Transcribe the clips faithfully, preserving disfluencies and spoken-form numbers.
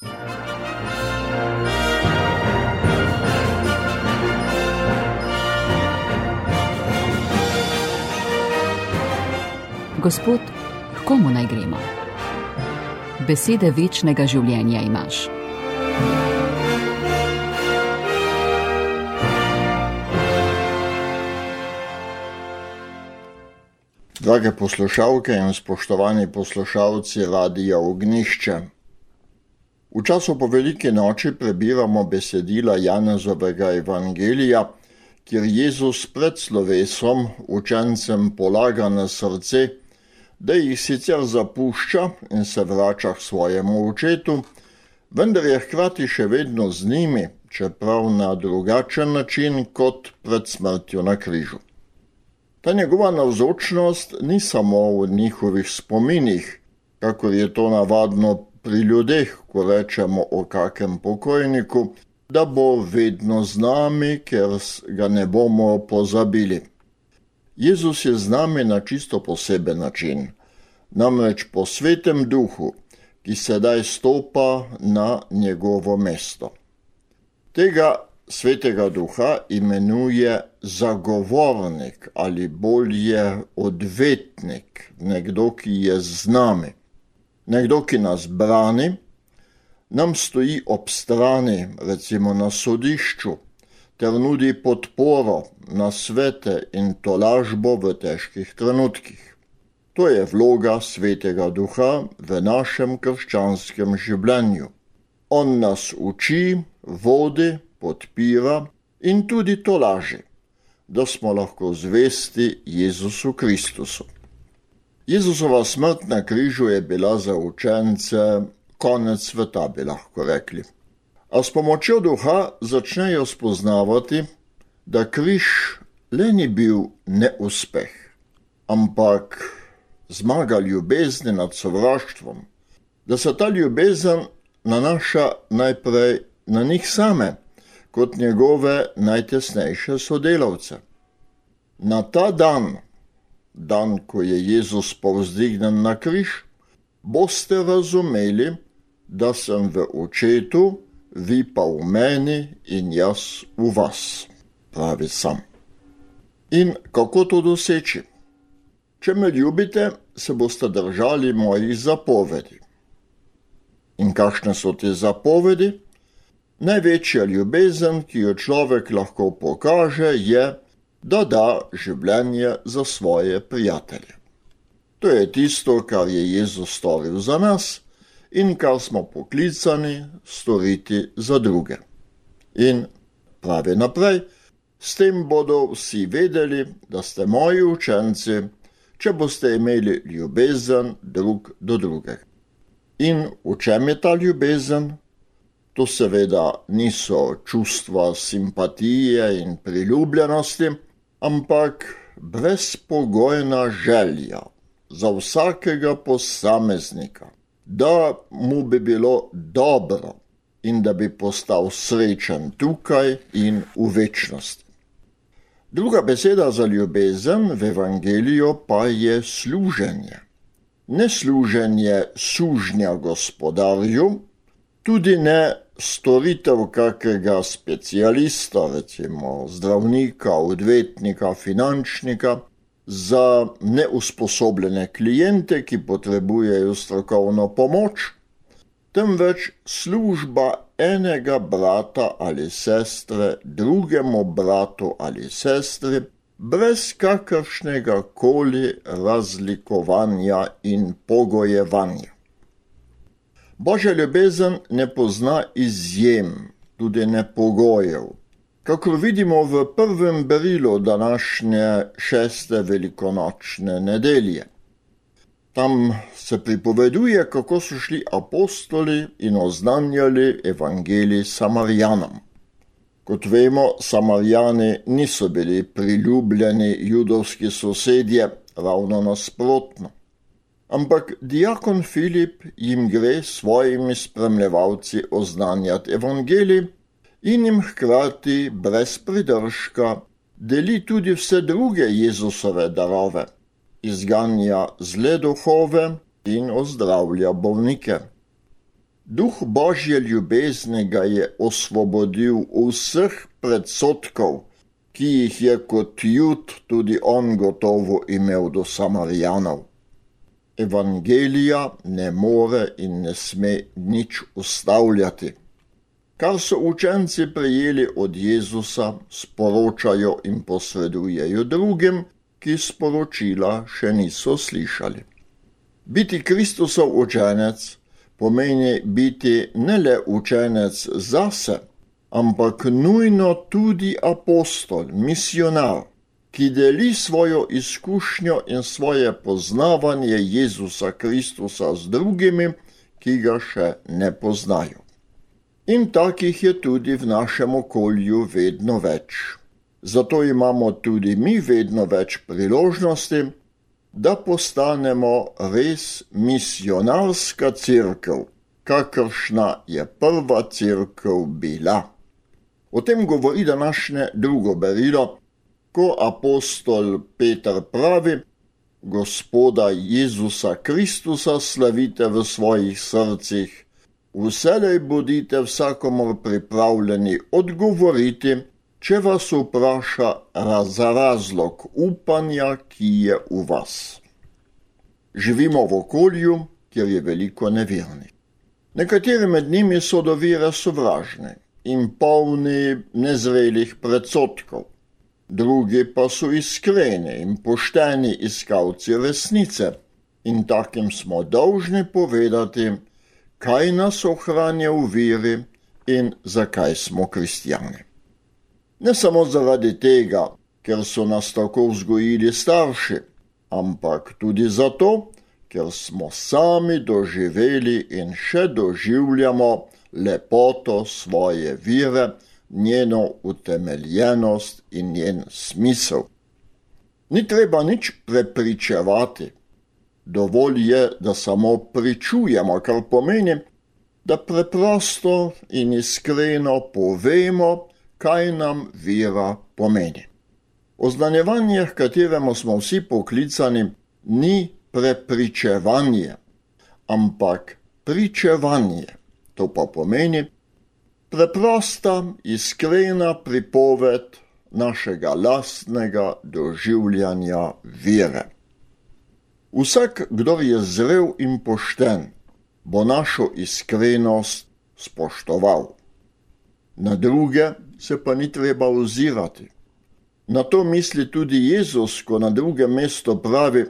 Gospod, k komu naj gremo? Besede večnega življenja imaš. Drage poslušalke in spoštovani poslušalci Radia Ognjišče. V času po veliki noči prebiramo besedila Janezovega evangelija, kjer Jezus pred slovesom učencem polaga na srce, da jih sicer zapušča in se vrača k svojemu očetu, vendar je hkrati še vedno z njimi, čeprav na drugačen način kot pred smrtjo na križu. Ta njegova navzočnost ni samo v njihovih spominih, kakor je to navadno pri ljudeh, ko rečemo o kakem pokojniku, da bo vedno z nami, ker ga ne bomo pozabili. Jezus je z nami na čisto poseben način, namreč po svetem duhu, ki sedaj stopa na njegovo mesto. Tega svetega duha imenuje zagovornik ali bolje odvetnik, nekdo, ki je z nami, nekdo, ki nas brani, nam stoji ob strani, recimo na sodišču, ter nudi podporo, nasvete in tolažbo v težkih trenutkih. To je vloga svetega duha v našem krščanskem življenju. On nas uči, vodi, podpira in tudi tolaži, da smo lahko zvesti Jezusu Kristusu. Jezusova smrt na križu je bila za učence konec sveta, bi lahko rekli. A s pomočjo duha začnejo spoznavati, da križ le ni bil neuspeh, ampak zmaga ljubezni nad sovraštvom, da se ta ljubezen nanaša najprej na njih same, kot njegove najtesnejše sodelavce. Na ta dan, dan, ko je Jezus povzdignjen na križ, boste razumeli, da sem v očetu, vi pa v meni in jaz v vas, pravi sam. In kako to doseči? Če me ljubite, se boste držali mojih zapovedi. In kakšne so te zapovedi? Največja ljubezen, ki jo človek lahko pokaže, je, da da življenje za svoje prijatelje. To je tisto, kar je Jezus storil za nas in kar smo poklicani storiti za druge. In pravi naprej, s tem bodo vsi vedeli, da ste moji učenci, če boste imeli ljubezen drug do drugega. In v čem je ta ljubezen? To seveda niso čustva simpatije in priljubljenosti, ampak brezpogojna želja za vsakega posameznika, da mu bi bilo dobro in da bi postal srečen tukaj in v večnosti. Druga beseda za ljubezen v evangeliju pa je služenje. Ne služenje sužnja gospodarju, tudi ne storitev kakega specialista, recimo zdravnika, odvetnika, finančnika, za neusposobljene klijente, ki potrebujejo strokovno pomoč, temveč služba enega brata ali sestre drugemu bratu ali sestri, brez kakršnega koli razlikovanja in pogojevanja. Božja ljubezen ne pozna izjem, tudi ne pogojev. Kakor vidimo v prvem berilu današnje šeste velikonočne nedelje. Tam se pripoveduje, kako so šli apostoli in oznanjali evangelij Samarjanom. Kot vemo, Samarjani niso bili priljubljeni judovski sosedje, ravno nasprotno. Ampak diakon Filip jim gre s svojimi spremljevalci oznanjati evangelij in jim hkrati brez pridržka deli tudi vse druge Jezusove darove, izganja zle duhove in ozdravlja bolnike. Duh Božje ljubezni ga je osvobodil vseh predsodkov, ki jih je kot Jud tudi on gotovo imel do Samarijanov. Evangelija ne more in ne sme nič ustavljati. Kar so učenci prejeli od Jezusa, sporočajo in posredujejo drugim, ki sporočila še niso slišali. Biti Kristusov učenec pomeni biti ne le učenec zase, ampak nujno tudi apostol, misionar, ki deli svojo izkušnjo in svoje poznavanje Jezusa Kristusa z drugimi, ki ga še ne poznajo. In takih je tudi v našem okolju vedno več. Zato imamo tudi mi vedno več priložnosti, da postanemo res misionarska cerkev, kakršna je prva cerkev bila. O tem govori današnje drugo berilo, ko apostol Peter pravi: Gospoda Jezusa Kristusa slavite v svojih srcih, vselej bodite vsakomur pripravljeni odgovoriti, če vas vpraša za razlog upanja, ki je v vas. Živimo v okolju, kjer je veliko nevernih. Nekateri med njimi so do vere sovražni in polni nezrelih predsodkov. Drugi pa so iskreni in pošteni iskalci resnice in takim smo dolžni povedati, kaj nas ohranja v veri in zakaj smo kristjani. Ne samo zaradi tega, ker so nas tako vzgojili starši, ampak tudi zato, ker smo sami doživeli in še doživljamo lepoto svoje vere, njeno utemeljenost in njen smisel. Ni treba nič prepričevati. Dovolj je, da samo pričujemo, kar pomeni, da preprosto in iskreno povemo, kaj nam vera pomeni. Oznanjevanje, h kateremu smo vsi poklicani, ni prepričevanje, ampak pričevanje. To pa pomeni preprosta, iskrena pripoved našega lastnega doživljanja vere. Vsak, kdo je zrel in pošten, bo našo iskrenost spoštoval. Na druge se pa ni treba ozirati. Na to misli tudi Jezus, ko na drugem mestu pravi,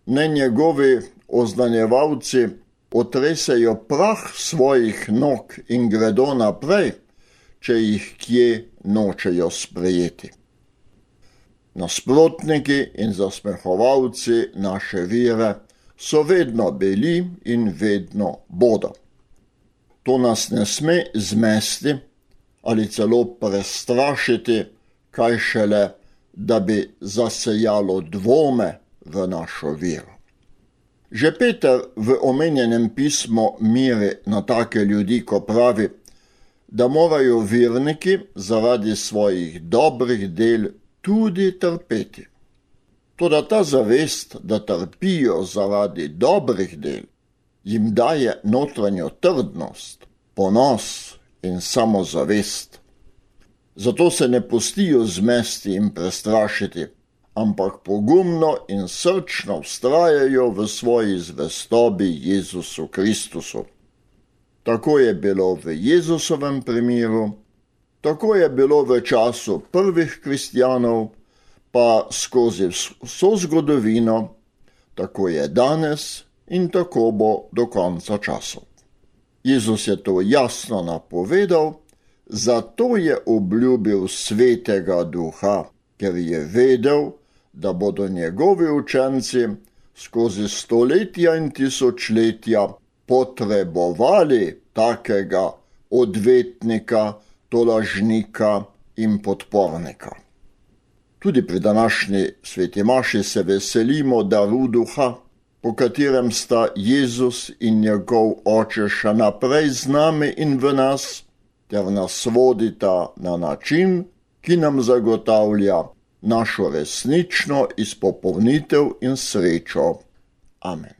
naj njegovi oznanjevalci otresejo prah svojih nog in gredo naprej, če jih kje nočejo sprejeti. Nasprotniki in zasmehovalci naše vere so vedno bili in vedno bodo. To nas ne sme zmesti ali celo prestrašiti, kaj šele, da bi zasejalo dvome v našo vero. Že Peter v omenjenem pismu miri na take ljudi, ko pravi, da morajo verniki zaradi svojih dobrih del tudi trpeti. Toda ta zavest, da trpijo zaradi dobrih del, jim daje notranjo trdnost, ponos in samozavest. Zato se ne pustijo zmesti in prestrašiti, ampak pogumno in srčno vztrajajo v svoji zvestobi Jezusu Kristusu. Tako je bilo v Jezusovem primeru, tako je bilo v času prvih kristjanov, pa skozi vso zgodovino, tako je danes in tako bo do konca časov. Jezus je to jasno napovedal, zato je obljubil Svetega Duha, ker je vedel, da bodo njegovi učenci skozi stoletja in tisočletja potrebovali takega odvetnika, tolažnika in podpornika. Tudi pri današnji sveti maši se veselimo daru Duha, po katerem sta Jezus in njegov Oče še naprej z nami in v nas, ter nas vodita na način, ki nam zagotavlja našo resnično izpopolnitev in srečo. Amen.